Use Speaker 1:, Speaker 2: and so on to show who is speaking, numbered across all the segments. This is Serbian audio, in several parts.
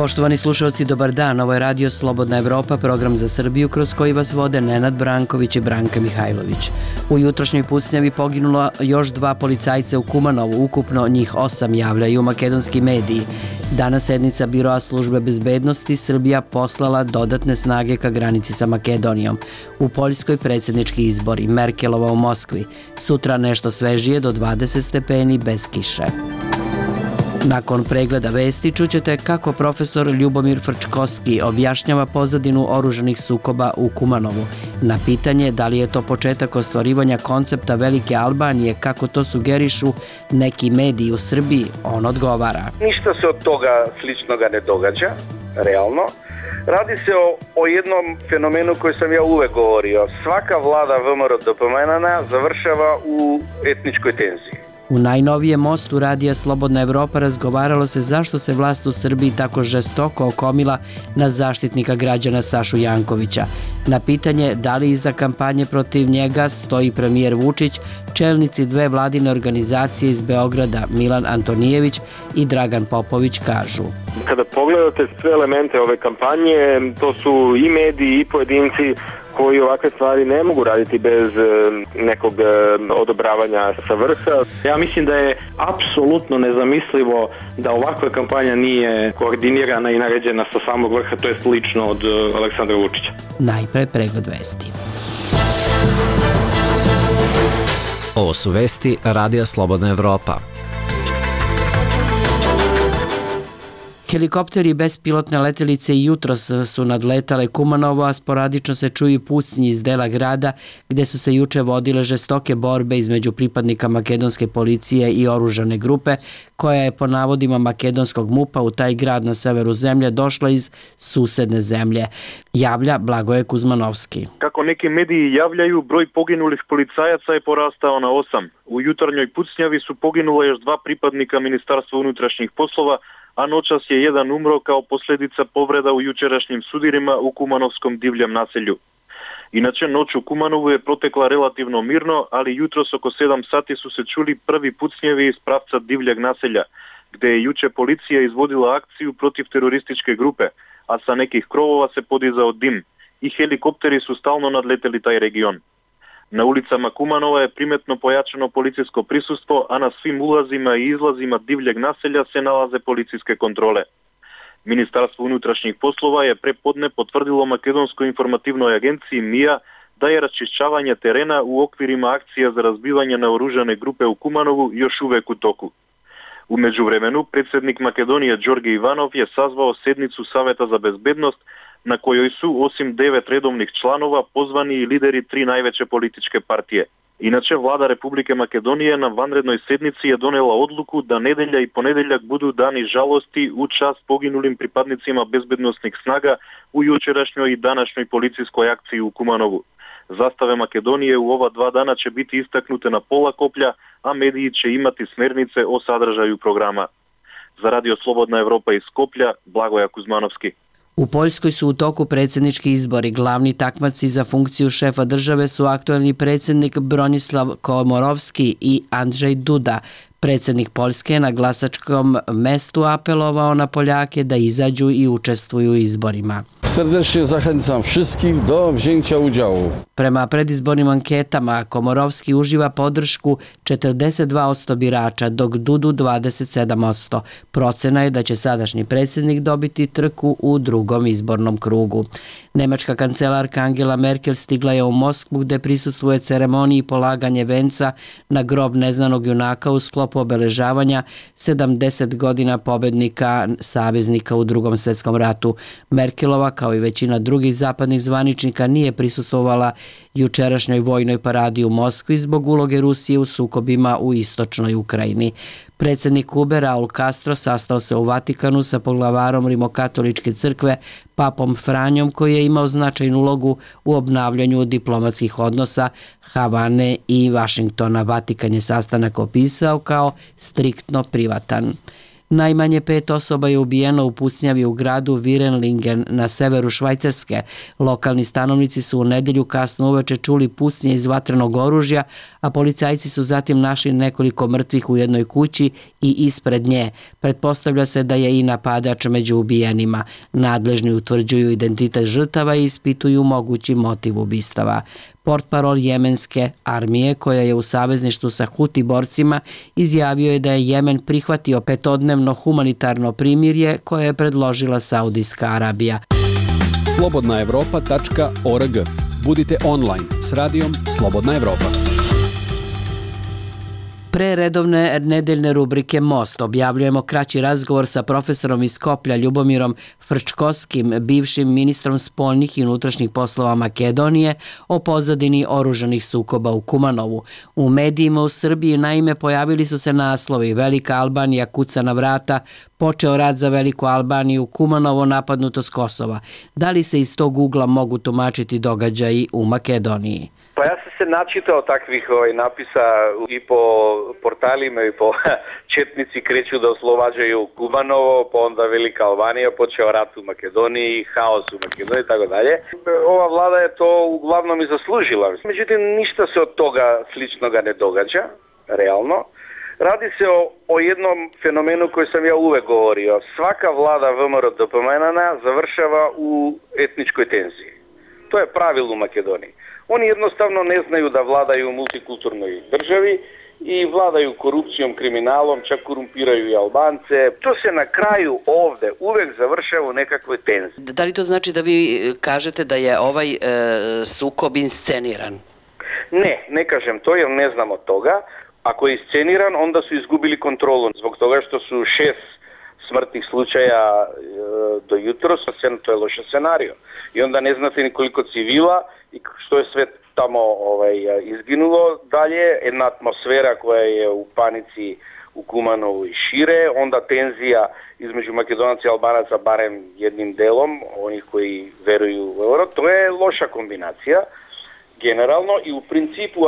Speaker 1: Poštovani slušalci, dobar dan. Ovo je Radio Slobodna Evropa, program za Srbiju kroz koji vas vode Nenad Branković i Branka Mihajlović. U jutrošnjoj pucnjavi poginulo još 2 policajca u Kumanovu, ukupno njih 8, javljaju makedonski mediji. Danas sednica Biroa službe bezbednosti Srbija poslala dodatne snage ka granici sa Makedonijom. U Poljskoj predsjednički izbori, Merkelova u Moskvi. Sutra nešto svežije do 20 stepeni bez kiše. Nakon pregleda vesti čućete kako profesor Ljubomir Frčkovski objašnjava pozadinu oružanih sukoba u Kumanovu. Na pitanje da li je to početak ostvarivanja koncepta Velike Albanije, kako to sugerišu neki mediji u Srbiji, on odgovara.
Speaker 2: Ništa se od toga sličnoga ne događa, realno. Radi se o jednom fenomenu koji sam ja uvek govorio. Svaka vlada VMRO dopomenana završava u etničkoj tenziji.
Speaker 1: U najnovijem mostu Radija Slobodna Evropa razgovaralo se zašto se vlast u Srbiji tako žestoko okomila na zaštitnika građana Sašu Jankovića. Na pitanje da li iza kampanje protiv njega stoji premijer Vučić, čelnici 2 vladine organizacije iz Beograda, Milan Antonijević i Dragan Popović, kažu.
Speaker 3: Kada pogledate sve elemente ove kampanje, to su i mediji i pojedinci koji ovakve stvari ne mogu raditi bez nekog odobravanja sa vrha.
Speaker 4: Ja mislim da je apsolutno nezamislivo da ovakva kampanja nije koordinirana i naređena sa samog vrha, to je lično od Aleksandra Vučića.
Speaker 1: Najpre pregled vesti.
Speaker 5: Ovo su vesti Radija Slobodna Evropa.
Speaker 1: Helikopteri i bespilotne letelice i jutros su nadletale Kumanovo, a sporadično se čuju pucnji iz dela grada gde su se juče vodile žestoke borbe između pripadnika makedonske policije i oružane grupe koja je po navodima makedonskog MUP-a u taj grad na severu zemlje došla iz susedne zemlje. Javlja Blagoje Kuzmanovski.
Speaker 6: Kako neki mediji javljaju, broj poginulih policajaca je porastao na 8. U jutarnjoj pucnjavi su poginula još 2 pripadnika Ministarstva unutrašnjih poslova, a noćas je jedan umro kao posljedica povreda u jučerašnjim sudirima u Kumanovskom divljem naselju. Inače, noć u Kumanovu je protekla relativno mirno, ali jutros oko 7 sati su se čuli prvi pucnjevi iz pravca divljeg naselja, gde je juče policija izvodila akciju protiv terorističke grupe, a sa nekih krovova se podizao dim i helikopteri su stalno nadleteli taj region. Na ulicama Kumanova je primetno pojačano policijsko prisustvo, a na svim ulazima i izlazima divljeg naselja se nalaze policijske kontrole. Ministarstvo unutrašnjih poslova je prepodne potvrdilo Makedonskoj informativnoj agenciji MIA da je raščišćavanje terena u okvirima akcija za razbivanje naoružane grupe u Kumanovu još uvek u toku. U međuvremenu, predsjednik Makedonije Đorđe Ivanov je sazvao sednicu Saveta za bezbednost na kojoj su, osim 9 redovnih članova, pozvani i lideri 3 najveće političke partije. Inače, vlada Republike Makedonije na vanrednoj sednici je donela odluku da nedelja i ponedeljak budu dani žalosti u čast poginulim pripadnicima bezbednosnih snaga u jučerašnjoj i današnjoj policijskoj akciji u Kumanovu. Zastave Makedonije u ova 2 dana će biti istaknute na pola koplja, a mediji će imati smernice o sadržaju programa. Za Radio Slobodna Evropa iz Skoplja, Blagoje Kuzmanovski.
Speaker 1: U Poljskoj su u toku predsjednički izbori. Glavni takmaci za funkciju šefa države su aktuelni predsjednik Bronislav Komorovski i Andrzej Duda. Predsjednik Poljske na glasačkom mestu apelovao na Poljake da izađu i učestvuju u izborima.
Speaker 7: Serdecznie zachęcam wszystkich do wzięcia udziału.
Speaker 1: Prema predizbornim anketama Komorovski uživa podršku 42% birača, dok Dudu 27%. Procena je da će sadašnji predsjednik dobiti trku u drugom izbornom krugu. Nemačka kancelarka Angela Merkel stigla je u Moskvu gde prisustvuje ceremoniji polaganje venca na grob neznanog junaka u sklopu obeležavanja 70 godina pobednika saveznika u Drugom svjetskom ratu. Merkelova, kao i većina drugih zapadnih zvaničnika, nije prisustvovala jučerašnjoj vojnoj paradi u Moskvi zbog uloge Rusije u sukobima u istočnoj Ukrajini. Predsjednik Kube Raul Castro sastao se u Vatikanu sa poglavarom Rimokatoličke crkve papom Franjom, koji je imao značajnu ulogu u obnavljanju diplomatskih odnosa Havane i Vašingtona. Vatikan je sastanak opisao kao striktno privatan. Najmanje 5 osoba je ubijeno u pucnjavi u gradu Virenlingen na severu Švajcarske. Lokalni stanovnici su u nedelju kasno uveče čuli pucnje iz vatrenog oružja, a policajci su zatim našli nekoliko mrtvih u jednoj kući i ispred nje. Pretpostavlja se da je i napadač među ubijenima. Nadležni utvrđuju identitet žrtava i ispituju mogući motiv ubistava. Portparol jemenske armije, koja je u savezništvu sa Huti borcima, izjavio je da je Jemen prihvatio 5-dnevno humanitarno primirje koje je predložila Saudijska Arabija.
Speaker 8: slobodnaevropa.org. Budite online s radijom Slobodna Evropa.
Speaker 1: Pre redovne nedeljne rubrike Most objavljujemo kraći razgovor sa profesorom iz Skoplja Ljubomirom Frčkovskim, bivšim ministrom spoljnih i unutrašnjih poslova Makedonije, o pozadini oružanih sukoba u Kumanovu. U medijima u Srbiji naime pojavili su se naslovi: Velika Albanija kuca na vrata, počeo rat za Veliku Albaniju, Kumanovo napadnuto s Kosova. Da li se iz tog ugla mogu tumačiti događaji u Makedoniji?
Speaker 2: Pa ja sam se načitao takvih napisa i po portalima i po četnici kreću da oslobađaju Kumanovo, pa onda Velika Albanija, počeo rat u Makedoniji, haos u Makedoniji i tako dalje. Ova vlada je to uglavnom i zaslužila. Međutim, ništa se od toga sličnoga ne događa, realno. Radi se o jednom fenomenu koji sam ja uvek govorio. Svaka vlada VMRO DPMNE završava u etničkoj tenziji. To je pravilo u Makedoniji. Oni jednostavno ne znaju da vladaju u multikulturnoj državi i vladaju korupcijom, kriminalom, čak korumpiraju i Albance. To se na kraju ovde uvek završava u nekakvoj tenziji.
Speaker 1: Da li to znači da vi kažete da je ovaj sukob insceniran?
Speaker 2: Ne kažem to jer ne znam od toga. Ako je isceniran, onda su izgubili kontrolu zbog toga što su 6 smrtnih slučaja do jutros, to je loš scenario. I onda ne znate ni koliko civila i što je sve tamo izginulo. Dalje, jedna atmosfera koja je u panici u Kumanovu i šire, onda tenzija između Makedonaca i Albanaca barem jednim delom, onih koji veruju u euro. To je loša kombinacija generalno i u principu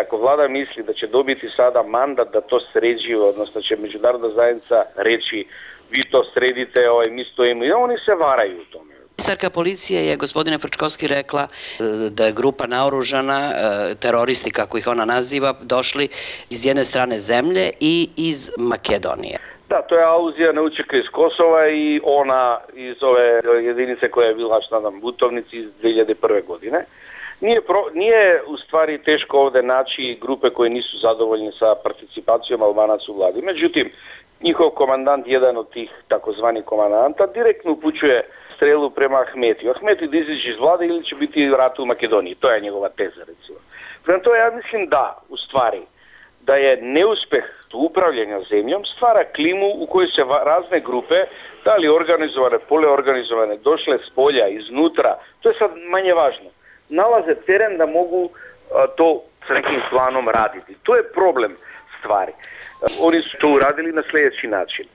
Speaker 2: ako vlada misli da će dobiti sada mandat da to sređiva, odnosno će međunarodna zajednica reći vi to sredite, mi stojimo i oni se varaju u tome.
Speaker 1: Ministarka policije je, gospodine Frčkovski, rekla da je grupa naoružana, teroristi kako ih ona naziva, došli iz jedne strane zemlje i iz Makedonije.
Speaker 2: Da, to je aluzija na učeka iz Kosova i ona iz ove jedinice koja je bila na Butovnici iz 2001. godine. Nije u stvari teško ovde naći grupe koje nisu zadovoljni sa participacijom Albanaca u vladi. Međutim, njihov komandant, jedan od tih takozvanih komandanta, direktno upućuje strelu prema Ahmetiju. Ahmeti da izađe iz vlade ili će biti rat u Makedoniji. To je njegova teza, recimo. Prema to ja mislim u stvari, da je neuspeh upravljanja zemljom stvara klimu u kojoj se razne grupe, da li organizovane, poleorganizovane, došle s polja, iznutra, to je sad manje važno, nalaze teren da mogu to s nekim planom raditi. To je problem stvari. Oni su to uradili na sljedeći način.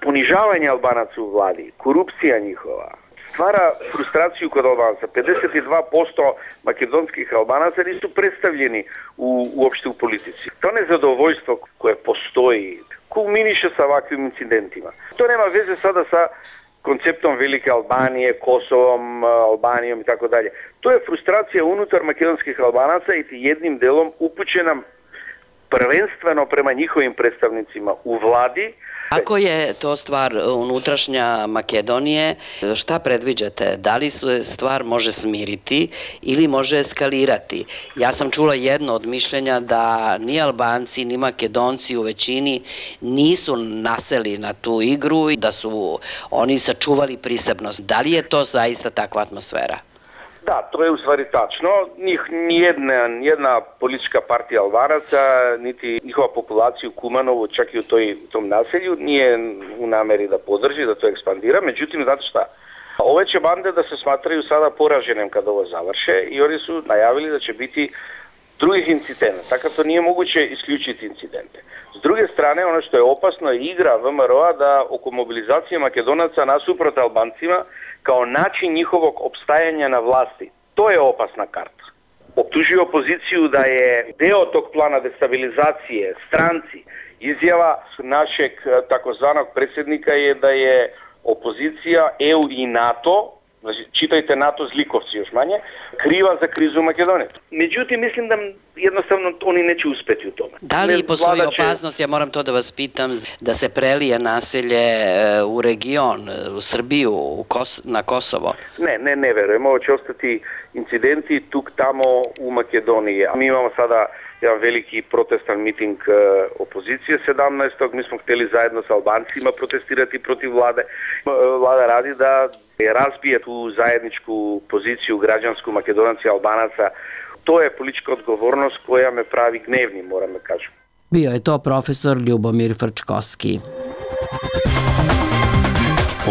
Speaker 2: Ponižavanje Albanaca u vladi, korupcija njihova, stvara frustraciju kod Albanaca. 52% makedonskih Albanaca nisu predstavljeni uopšte u politici. To nezadovoljstvo koje postoji, kulminiše sa ovakvim incidentima. To nema veze sada sa konceptom Velike Albanije, Kosovom, Albanijom i tako dalje. To je frustracija unutar makedonskih Albanaca i jednim delom upućena prvenstveno prema njihovim predstavnicima u vladi.
Speaker 1: Ako je to stvar unutrašnja Makedonije, šta predviđate? Da li se stvar može smiriti ili može eskalirati? Ja sam čula jedno od mišljenja da ni Albanci ni Makedonci u većini nisu naseli na tu igru i da su oni sačuvali prisebnost. Da li je to zaista takva atmosfera?
Speaker 2: Da, to je u stvari tačno. Nijedna politička partija Albanaca, niti njihova populacija u Kumanovu, čak i u tom naselju, nije u nameri da podrži, da to ekspandira. Međutim, znate šta? Ove će bande da se smatraju sada poraženim kad ovo završe i oni su najavili da će biti drugih incidenta. Tako to nije moguće isključiti incidente. S druge strane, ono što je opasno je igra VMRO-a da oko mobilizacije Makedonaca nasuprot Albancima kao način njihovog opstajanja na vlasti. To je opasna karta. Optužuju opoziciju da je deo tog plana destabilizacije stranci Izjava našeg takozvanog predsjednika je da je opozicija, EU i NATO, znači čitajte NATO zlikovci još manje, kriva za krizu u Makedoniji. Međutim, mislim da jednostavno oni neće uspjeti u tome.
Speaker 1: Da li postoji opasnost, ja moram to da vas pitam, da se prelije naselje u region, u Srbiju, na Kosovo?
Speaker 2: Ne verujem. Ovo će ostati incidenti tuk tamo u Makedoniji. Mi imamo sada jedan veliki protestan miting opozicije 17. Mi smo htjeli zajedno sa Albancima protestirati protiv vlade. Vlada radi da razbije tu zajedničku poziciju građansku Makedonaca i Albanaca. To je politička odgovornost koja me pravi gnevnim, moram da kažem.
Speaker 1: Bio je to profesor Ljubomir Frčkovski.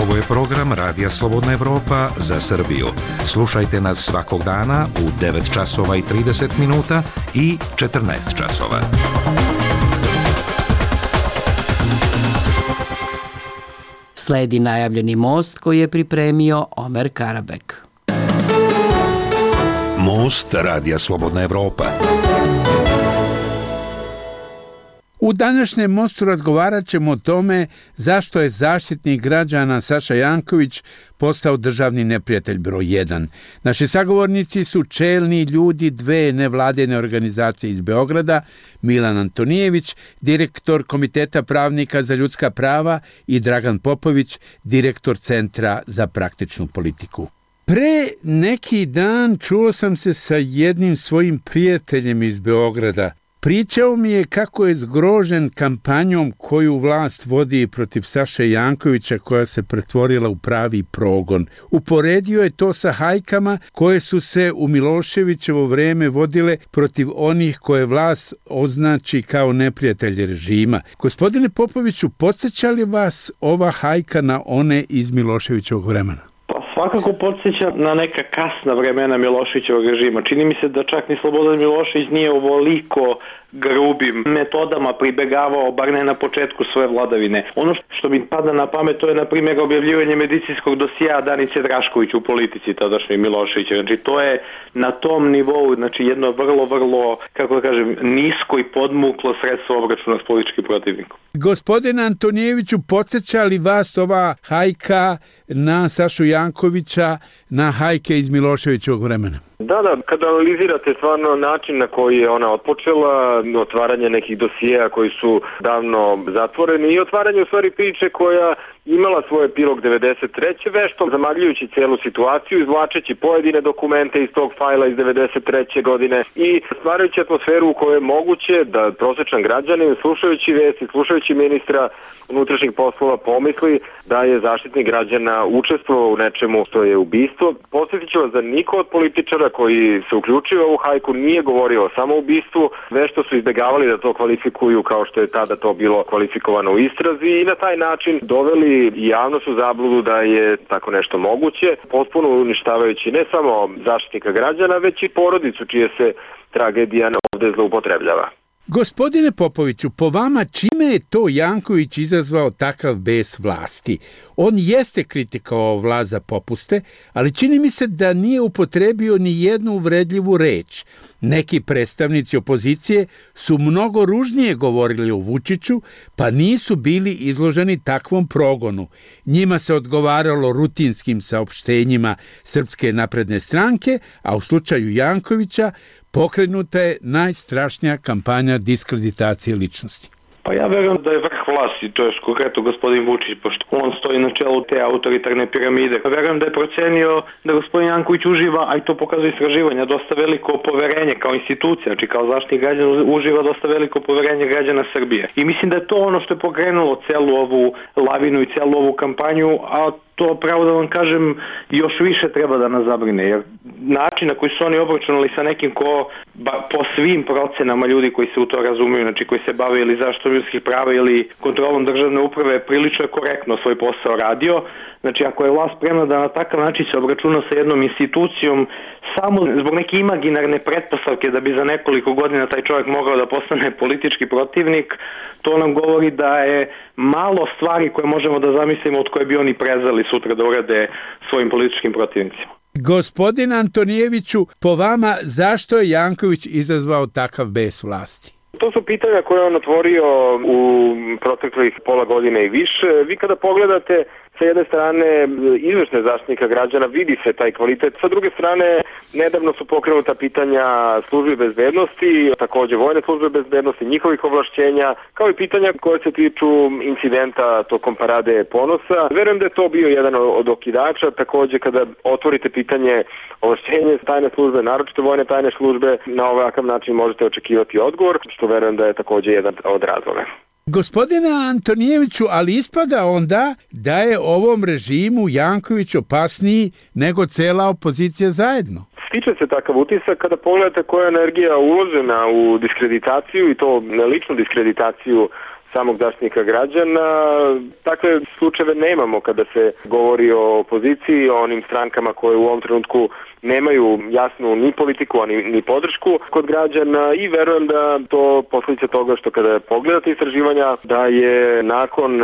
Speaker 9: Ovo je program Radija Slobodna Evropa za Srbiju. Slušajte nas svakog dana u 9 časova i 30 minuta i 14 časova.
Speaker 1: Sledi najavljeni most koji je pripremio Omer Karabek.
Speaker 9: Most Radija Slobodna Evropa.
Speaker 10: U današnjem mostu razgovarat ćemo o tome zašto je zaštitnik građana Saša Janković postao državni neprijatelj broj 1. Naši sagovornici su čelni ljudi dve nevladine organizacije iz Beograda, Milan Antonijević, direktor Komiteta pravnika za ljudska prava, i Dragan Popović, direktor Centra za praktičnu politiku. Pre neki dan čuo sam se sa jednim svojim prijateljem iz Beograda. Pričao mi je kako je zgrožen kampanjom koju vlast vodi protiv Saše Jankovića, koja se pretvorila u pravi progon. Uporedio je to sa hajkama koje su se u Miloševićevo vreme vodile protiv onih koje vlast označi kao neprijatelje režima. Gospodine Popoviću, podsjeća li vas ova hajka na one iz Miloševićevog vremena?
Speaker 4: Svakako podsjeća na neka kasna vremena Miloševićevog režima. Čini mi se da čak ni Slobodan Milošević nije ovoliko grubim metodama pribegavao, bar ne na početku svoje vladavine. Ono što mi pada na pamet, to je na primjer objavljivanje medicinskog dosija Danice Drašković u politici tadašnjoj Miloševića. Znači to je na tom nivou, znači jedno vrlo, kako da kažem, nisko i podmuklo sredstvo obračuna s političkim protivnikom.
Speaker 10: Gospodine Antonijeviću, podsjeća li vas ova hajka na Sašu Jankovića, na hajke iz Miloševićevog vremena?
Speaker 3: Da, kada analizirate stvarno način na koji je ona otpočela, otvaranje nekih dosijeja koji su davno zatvoreni i otvaranje u stvari priče koja imala svoj epilog 93. vešto, zamagljujući celu situaciju, izvlačeći pojedine dokumente iz tog fajla iz 93. godine i stvarajući atmosferu u kojoj je moguće da prosječan građanin, slušajući vesti, slušajući ministra unutrašnjih poslova, pomisli da je zaštitnik građana učestvovao u nečemu što je ubistvo. Podsjetit ću vas da niko od političara koji se uključio u ovu hajku nije govorio o samoubistvu, vešto su izbjegavali da to kvalifikuju kao što je tada to bilo kvalifikovano u istrazi i na taj način doveli i javnost u zabludu da je tako nešto moguće, potpuno uništavajući ne samo zaštitnika građana, već i porodicu čije se tragedija ovdje zloupotrebljava.
Speaker 10: Gospodine Popoviću, po vama čime je to Janković izazvao takav bes vlasti? On jeste kritikovao vlast za popuste, ali čini mi se da nije upotrebio ni jednu uvredljivu reč. Neki predstavnici opozicije su mnogo ružnije govorili o Vučiću, pa nisu bili izloženi takvom progonu. Njima se odgovaralo rutinskim saopštenjima Srpske napredne stranke, a u slučaju Jankovića pokrenuta je najstrašnija kampanja diskreditacije ličnosti.
Speaker 4: Pa ja verujem da je vrh vlasti, to je konkretno gospodin Vučić, pošto on stoji na čelu te autoritarne piramide. Verujem da je procenio da gospodin Janković uživa, a i to pokazuje istraživanja, dosta veliko poverenje kao institucija, znači kao zaštitnik građana uživa dosta veliko poverenje građana Srbije. I mislim da je to ono što je pokrenulo celu ovu lavinu i celu ovu kampanju, a to pravo da vam kažem još više treba da nas zabrine, jer način na koji su oni obračunali sa nekim ko po svim procenama ljudi koji se u to razumiju, znači koji se bave ili zaštitom ljudskih prava ili kontrolom državne uprave, prilično je korektno svoj posao radio. Znači ako je vlast spremna da na takav način se obračuna sa jednom institucijom samo zbog neke imaginarne pretpostavke da bi za nekoliko godina taj čovjek mogao da postane politički protivnik, to nam govori da je malo stvari koje možemo da zamislimo od koje bi oni prezali sutra da urade svojim političkim protivnicima.
Speaker 10: Gospodin Antonijeviću, po vama zašto je Janković izazvao takav bes vlasti?
Speaker 3: To su pitanja koje on otvorio u proteklih pola godine i više. Vi kada pogledate sa jedne strane izvršne zaštitnika građana, vidi se taj kvalitet. Sa druge strane, nedavno su pokrenuta pitanja službe bezbednosti, takođe vojne službe bezbednosti, njihovih ovlašćenja, kao i pitanja koje se tiču incidenta tokom parade Ponosa. Verujem da je to bio jedan od okidača. Takođe, kada otvorite pitanje ovlašćenja tajne službe, naročito vojne tajne službe, na ovakav način možete očekivati odgovor, što verujem da je takođe jedan od razloga.
Speaker 10: Gospodine Antonijeviću, ali ispada onda da je ovom režimu Janković opasniji nego cela opozicija zajedno.
Speaker 3: Stiče se takav utisak kada pogledate koja je energija uložena u diskreditaciju i to ličnu diskreditaciju samog zaštitnika građana. Takve slučajeve nemamo kada se govori o opoziciji, o onim strankama koje u ovom trenutku nemaju jasnu ni politiku, ni podršku kod građana i verujem da to posljedica toga što kada pogledate istraživanja da je nakon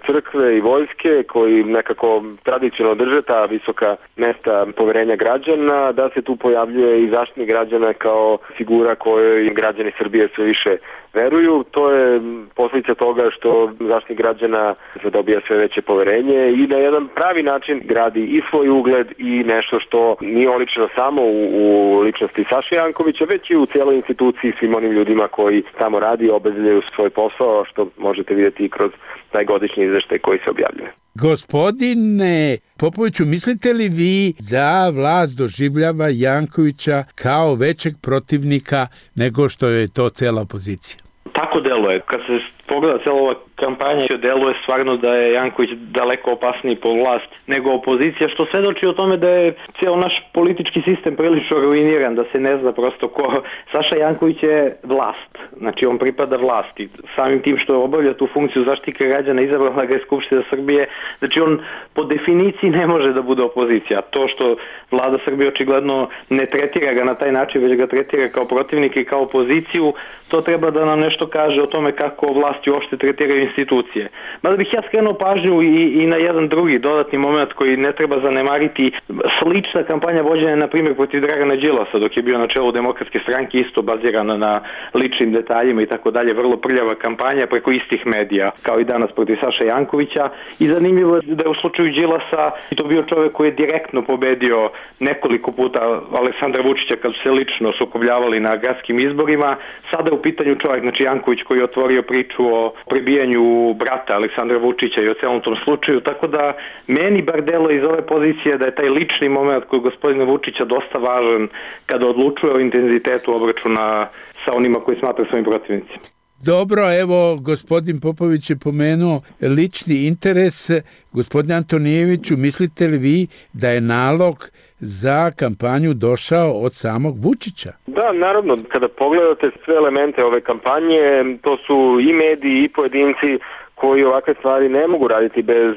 Speaker 3: crkve i vojske koji nekako tradicionalno drže ta visoka mesta poverenja građana, da se tu pojavljuje i zaštitnik građana kao figura kojoj građani Srbije sve više veruju. To je posljedica toga što zaštitnik građana dobija sve veće poverenje i na jedan pravi način gradi i svoj ugled i nešto što nije oličeno samo u ličnosti Saše Jankovića, već i u cijeloj instituciji, svim onim ljudima koji tamo radi i obavljaju svoj posao, što možete vidjeti i kroz taj godišnji izveštaj koji se objavljuje.
Speaker 10: Gospodine Popoviću, mislite li vi da vlast doživljava Jankovića kao većeg protivnika nego što je to cela opozicija?
Speaker 4: Tako deluje. Kad se pogleda cijela ova kampanja, deluje stvarno da je Janković daleko opasniji po vlast nego opozicija, što svedoči o tome da je cijel naš politički sistem prilično ruiniran, da se ne zna prosto ko. Saša Janković je vlast, znači on pripada vlasti. Samim tim što obavlja tu funkciju zaštitnika građana, izabrala ga je Skupština Srbije, znači on po definiciji ne može da bude opozicija. To što vlada Srbije očigledno ne tretira ga na taj način, već ga tretira kao protivnika i kao opoziciju, to treba da nam nešto kaže o tome kako vlasti uopšte tretiraju institucije. Mada bih ja skrenuo pažnju i na jedan drugi dodatni moment koji ne treba zanemariti. Slična kampanja vođena na primjer protiv Dragana Đilasa dok je bio na čelu Demokratske stranke, isto bazirana na ličnim detaljima i tako dalje, vrlo prljava kampanja preko istih medija, kao i danas protiv Saša Jankovića. I zanimljivo je da je u slučaju Đilasa to bio čovjek koji je direktno pobedio nekoliko puta Aleksandra Vučića kad su se lično sukobljavali na gradskim izborima. Sada je u pitanju čovjek, znači Janković, koji je otvorio priču o prebijanju brata Aleksandra Vučića i o celom tom slučaju, tako da meni bar delo iz ove pozicije da je taj lični moment kod gospodina Vučića dosta važan kada odlučuje o intenzitetu obračuna sa onima koji smatraju svojim protivnicima.
Speaker 10: Dobro, evo, gospodin Popović je pomenuo lični interes. Gospodine Antonijeviću, mislite li vi da je nalog za kampanju došao od samog Vučića?
Speaker 3: Da, naravno, kada pogledate sve elemente ove kampanje, to su i mediji i pojedinci koji ovakve stvari ne mogu raditi bez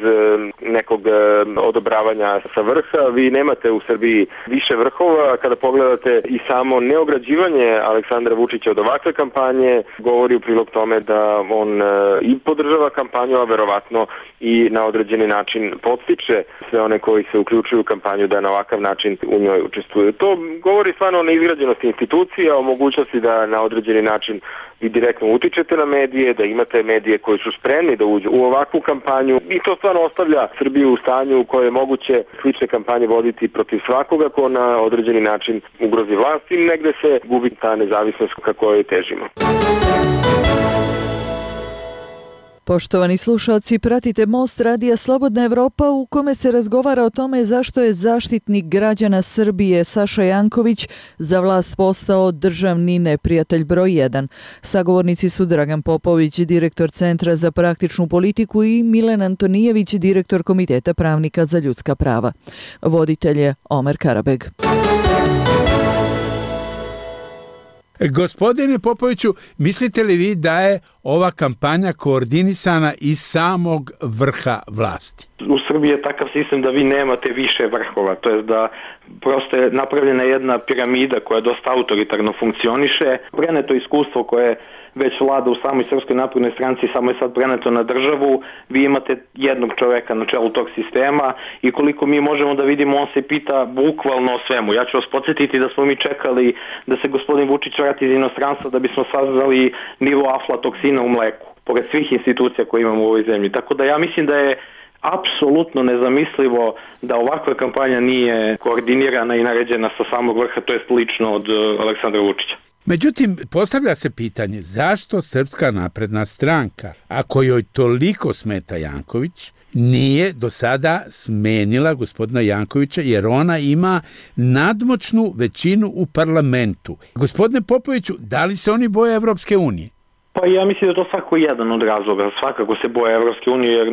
Speaker 3: nekog odobravanja sa vrha. Vi nemate u Srbiji više vrhova. Kada pogledate i samo neograđivanje Aleksandra Vučića od ovakve kampanje, govori u prilog tome da on i podržava kampanju, a verovatno i na određeni način podstiče sve one koji se uključuju u kampanju da na ovakav način u njoj učestvuju. To govori stvarno o neizgrađenosti institucija, o mogućnosti da na određeni način vi direktno utičete na medije, da imate medije koji su spremni da uđu u ovakvu kampanju i to stvarno ostavlja Srbiju u stanju u kojoj je moguće slične kampanje voditi protiv svakoga ko na određeni način ugrozi vlast i negde se gubi ta nezavisnost ka kojoj težimo.
Speaker 11: Poštovani slušalci, pratite Most radija Slobodna Evropa u kome se razgovara o tome zašto je zaštitnik građana Srbije Saša Janković za vlast postao državni neprijatelj broj 1. Sagovornici su Dragan Popović, direktor Centra za praktičnu politiku i Milan Antonijević, direktor Komiteta pravnika za ljudska prava. Voditelj je Omer Karabeg.
Speaker 10: Gospodine Popoviću, mislite li vi da je ova kampanja koordinisana iz samog vrha vlasti?
Speaker 4: U Srbiji je takav sistem da vi nemate više vrhova, to je da prosto je napravljena jedna piramida koja dosta autoritarno funkcioniše. Preneto iskustvo koje već vlada u samoj Srpskoj naprednoj stranci, samo je sad preneto na državu, vi imate jednog čoveka na čelu tog sistema i koliko mi možemo da vidimo, on se pita bukvalno o svemu. Ja ću vas podsjetiti da smo mi čekali da se gospodin Vučić vrati pregovarati iz inostranstva da bismo saznali nivo aflatoksina u mleku, pored svih institucija koje imamo u ovoj zemlji. Tako da ja mislim da je apsolutno nezamislivo da ovakva kampanja nije koordinirana i naređena sa samog vrha, to je lično od Aleksandra Vučića.
Speaker 10: Međutim, postavlja se pitanje zašto Srpska napredna stranka, ako joj toliko smeta Janković, nije do sada smenila gospodina Jankovića, jer ona ima nadmoćnu većinu u parlamentu. Gospodine Popoviću, da li se oni boje Evropske unije?
Speaker 4: Pa ja mislim da je to svako jedan od razloga. Svakako se boje Evropske unije, jer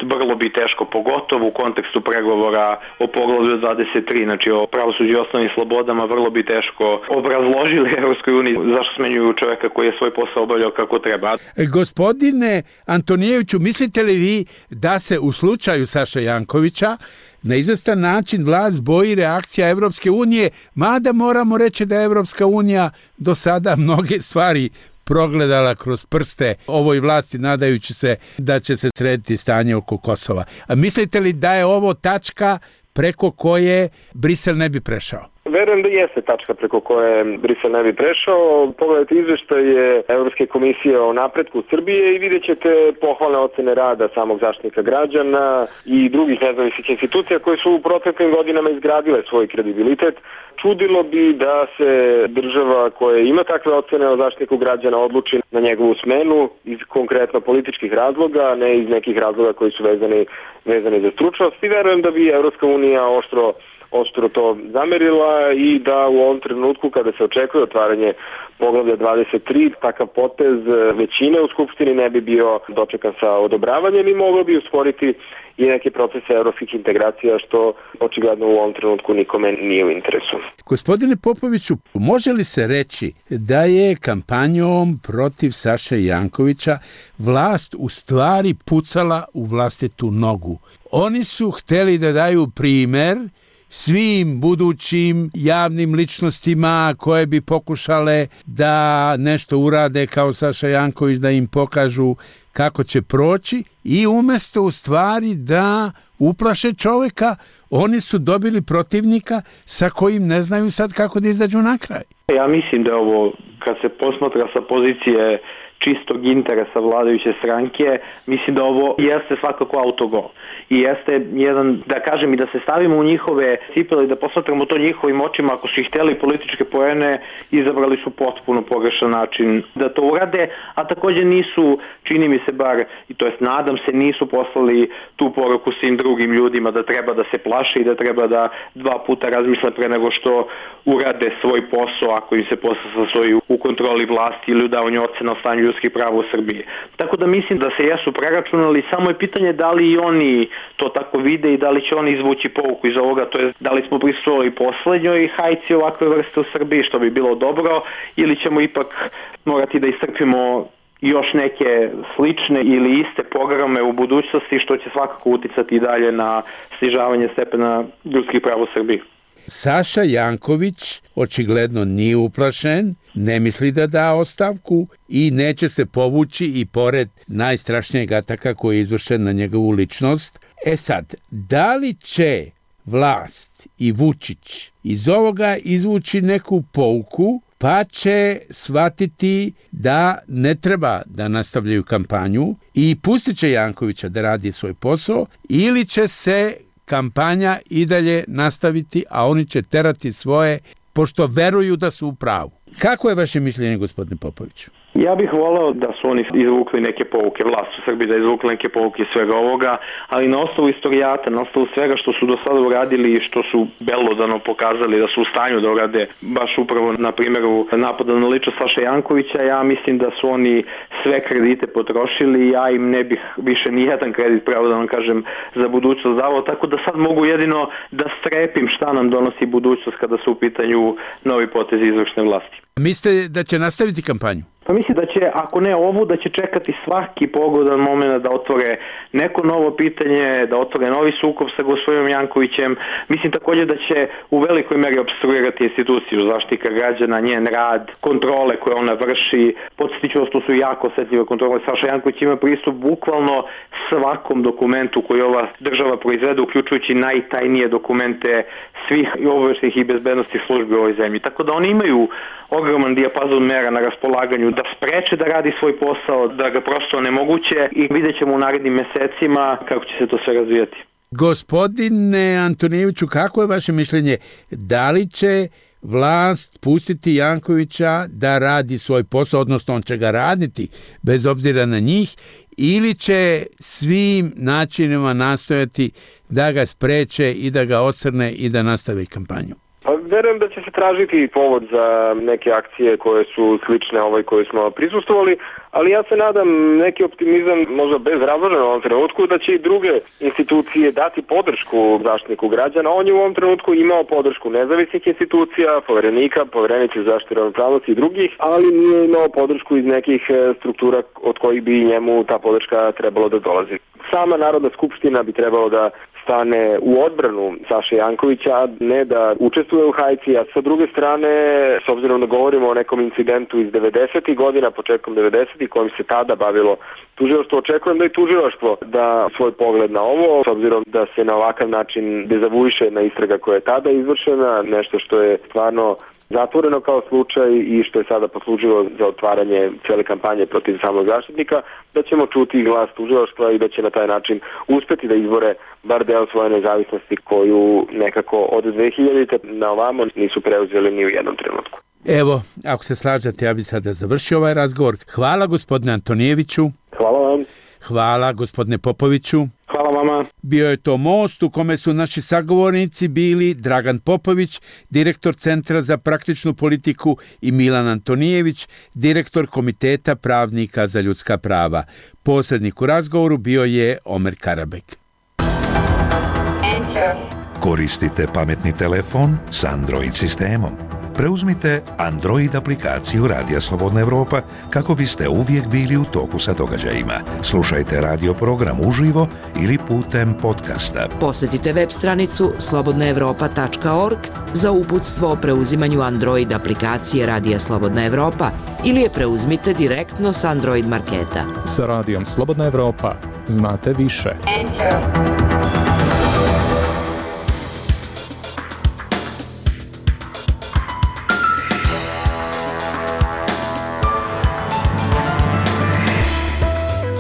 Speaker 4: vrlo bi teško, pogotovo u kontekstu pregovora o poglavlju 23, znači o pravosuđu i osnovnim slobodama, vrlo bi teško obrazložili Evropskoj uniji zašto smenjuju čoveka koji je svoj posao obavljao kako treba.
Speaker 10: Gospodine Antonijeviću, mislite li vi da se u slučaju Saše Jankovića na izvestan način vlast boji reakcija Evropske unije, mada moramo reći da je Evropska unija do sada mnoge stvari progledala kroz prste ovoj vlasti, nadajući se da će se srediti stanje oko Kosova. A mislite li da je ovo tačka preko koje Brisel ne bi prešao?
Speaker 3: Verujem da jeste tačka preko koje Brisel ne bi prešao. Pogledajte izveštaje Evropske komisije o napretku Srbije i vidjet ćete pohvalne ocene rada samog Zaštitnika građana i drugih nezavisnih institucija koje su u proteklim godinama izgradile svoj kredibilitet. Čudilo bi da se država koja ima takve ocene o Zaštitniku građana odluči na njegovu smenu iz konkretno političkih razloga, ne iz nekih razloga koji su vezani za stručnost. I verujem da bi Evropska unija oštro to zamerila i da u ovom trenutku kada se očekuje otvaranje poglavlja 23, takav potez većine u Skupštini ne bi bio dočekan sa odobravanjem i moglo bi usporiti i neke procese evropskih integracija, što očigledno u ovom trenutku nikome nije u interesu.
Speaker 10: Gospodine Popoviću, može li se reći da je kampanjom protiv Saše Jankovića vlast u stvari pucala u vlastitu nogu? Oni su hteli da daju primer svim budućim javnim ličnostima koje bi pokušale da nešto urade kao Saša Janković, da im pokažu kako će proći i umesto u stvari da uplaše čoveka, oni su dobili protivnika sa kojim ne znaju sad kako da izađu na kraj.
Speaker 4: Ja mislim da ovo, kad se posmatra sa pozicije čistog interesa vladajuće stranke, mislim da ovo jeste svakako autogol. I jeste jedan, da kažem, i da se stavimo u njihove cipele i da posmatramo to njihovim očima, ako su ih hteli političke poene, izabrali su potpuno pogrešan način da to urade, a također nisu, čini mi se bar, i to jest nadam se, nisu poslali tu poruku svim drugim ljudima da treba da se plaše i da treba da 2 puta razmisle pre nego što urade svoj posao, ako im se posao sastoji u kontroli vlasti ili u davanju ocena o stanju ljudskih prava u Srbiji. Tako da mislim da se jesu preračunali, samo je pitanje da li i oni to tako vide i da li će oni izvući pouku iz ovoga, to je da li smo prisustvovali poslednjoj hajci ovakve vrste u Srbiji, što bi bilo dobro, ili ćemo ipak morati da istrpimo još neke slične ili iste programe u budućnosti, što će svakako uticati i dalje na snižavanje stepena ljudskih prava u Srbiji.
Speaker 10: Saša Janković očigledno nije uplašen, ne misli da da ostavku i neće se povući i pored najstrašnijeg ataka koji je izvršen na njegovu ličnost. Sad, da li će vlast i Vučić iz ovoga izvući neku pouku, pa će shvatiti da ne treba da nastavljaju kampanju i pustit će Jankovića da radi svoj posao, ili će se kampanja i dalje nastaviti, a oni će terati svoje, pošto veruju da su u pravu. Kako je vaše mišljenje, gospodine Popoviću?
Speaker 4: Ja bih voleo da su oni izvukli neke pouke, vlast u Srbiji da izvukli neke pouke svega ovoga, ali na osnovu istorijata, na osnovu svega što su do sada uradili i što su belodano pokazali da su u stanju da urade, baš upravo na primjeru napada na ličnost Saše Jankovića, ja mislim da su oni sve kredite potrošili i ja im ne bih više ni jedan kredit, pravo da vam kažem, za budućnost davao, tako da sad mogu jedino da strepim šta nam donosi budućnost kada su u pitanju novi potezi izvršne vlasti.
Speaker 10: Mislite da će nastaviti kampanju?
Speaker 4: Pa mislim da će, ako ne ovu, da će čekati svaki pogodan moment da otvore neko novo pitanje, da otvore novi sukob sa gospodinom Jankovićem. Mislim također da će u velikoj meri opstruirati instituciju Zaštitnika građana, njen rad, kontrole koje ona vrši. Podsjetit ću vas, to su jako osetljive kontrole. Saša Janković ima pristup bukvalno svakom dokumentu koji ova država proizvede, uključujući najtajnije dokumente svih obaveštajnih i bezbednosti službi u ovoj zemlji. Tako da oni imaju ogroman dijapazon mera na raspolaganju da spreče da radi svoj posao, da ga prosto onemoguće i vidjet ćemo u narednim mesecima kako će se to sve razvijati.
Speaker 10: Gospodine Antonijeviću, kako je vaše mišljenje? Da li će vlast pustiti Jankovića da radi svoj posao, odnosno on će ga raditi bez obzira na njih, ili će svim načinima nastojati da ga spreče i da ga ocrne i da nastave kampanju?
Speaker 3: Pa verujem da će se tražiti povod za neke akcije koje su slične ovoj koje smo prisustvovali, ali ja se nadam neki optimizam, možda bezrazložan u ovom trenutku, da će i druge institucije dati podršku Zaštitniku građana. On je u ovom trenutku imao podršku nezavisnih institucija, Poverenika, Poverenice za zaštitu ravnopravnosti i drugih, ali nije imao podršku iz nekih struktura od kojih bi njemu ta podrška trebalo da dolazi. Sama Narodna skupština bi trebalo da stane u odbranu Saše Jankovića, a ne da učestvuje u hajci, a sa druge strane, s obzirom da govorimo o nekom incidentu iz 90. godina, početkom 90. kojim se tada bavilo tužilaštvo, očekujem da i tužilaštvo da svoj pogled na ovo, s obzirom da se na ovakav način dezavuiše na istraga koja je tada izvršena, nešto što je stvarno zatvoreno kao slučaj i što je sada poslužilo za otvaranje cele kampanje protiv samog Zaštitnika, da ćemo čuti glas tužilaštva i da će na taj način uspeti da izbore bar deo svoje nezavisnosti koju nekako od 2000. na ovamo nisu preuzeli ni u jednom trenutku.
Speaker 10: Evo, ako se slažete, ja bih sada završio ovaj razgovor. Hvala gospodine Antonijeviću.
Speaker 3: Hvala vam.
Speaker 10: Hvala gospodine Popoviću.
Speaker 3: Hvala vama.
Speaker 10: Bio je to Most u kome su naši sagovornici bili Dragan Popović, direktor Centra za praktičnu politiku, i Milan Antonijević, direktor Komiteta pravnika za ljudska prava. Posrednik u razgovoru bio je Omer Karabek.
Speaker 9: Koristite pametni telefon s Android sistemom. Preuzmite Android aplikaciju Radija Slobodna Evropa kako biste uvijek bili u toku sa događajima. Slušajte radio program uživo ili putem podcasta.
Speaker 1: Posjetite web stranicu slobodnaevropa.org za uputstvo o preuzimanju Android aplikacije Radija Slobodna Evropa ili je preuzmite direktno s Android marketa.
Speaker 12: Sa Radijom Slobodna Evropa znate više.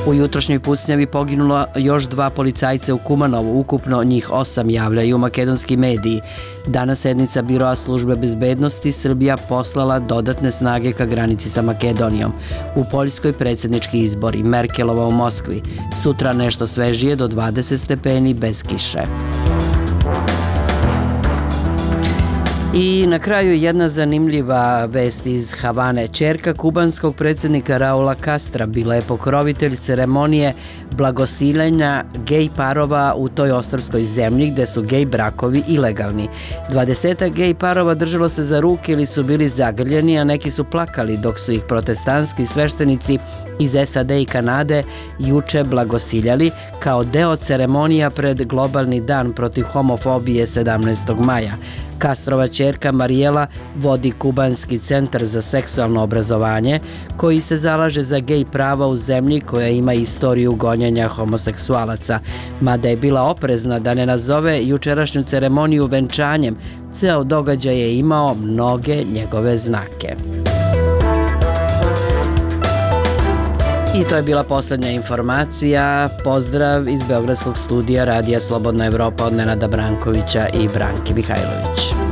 Speaker 1: U jutrošnjoj pucnjavi poginulo još 2 policajca u Kumanovu, ukupno njih 8, javljaju makedonski mediji. Danas sednica Biroa službe bezbednosti Srbija poslala dodatne snage ka granici sa Makedonijom. U Poljskoj predsjednički izbori, Merkelova u Moskvi. Sutra nešto svežije do 20 stepeni bez kiše. I na kraju jedna zanimljiva vest iz Havane. Ćerka kubanskog predsjednika Raula Castra bila je pokrovitelj ceremonije blagosiljenja gej parova u toj ostrvskoj zemlji gde su gej brakovi ilegalni. 20 gej parova držalo se za ruke ili su bili zagrljeni, a neki su plakali dok su ih protestantski sveštenici iz SAD i Kanade juče blagosiljali kao deo ceremonija pred globalni dan protiv homofobije 17. maja. Castrova ćerka Marijela vodi kubanski centar za seksualno obrazovanje koji se zalaže za gej prava u zemlji koja ima istoriju gonjenja homoseksualaca. Mada je bila oprezna da ne nazove jučerašnju ceremoniju venčanjem, ceo događaj je imao mnoge njegove znake. I to je bila posljednja informacija. Pozdrav iz Beogradskog studija Radija Slobodna Evropa od Nenada Brankovića i Branki Mihajlović.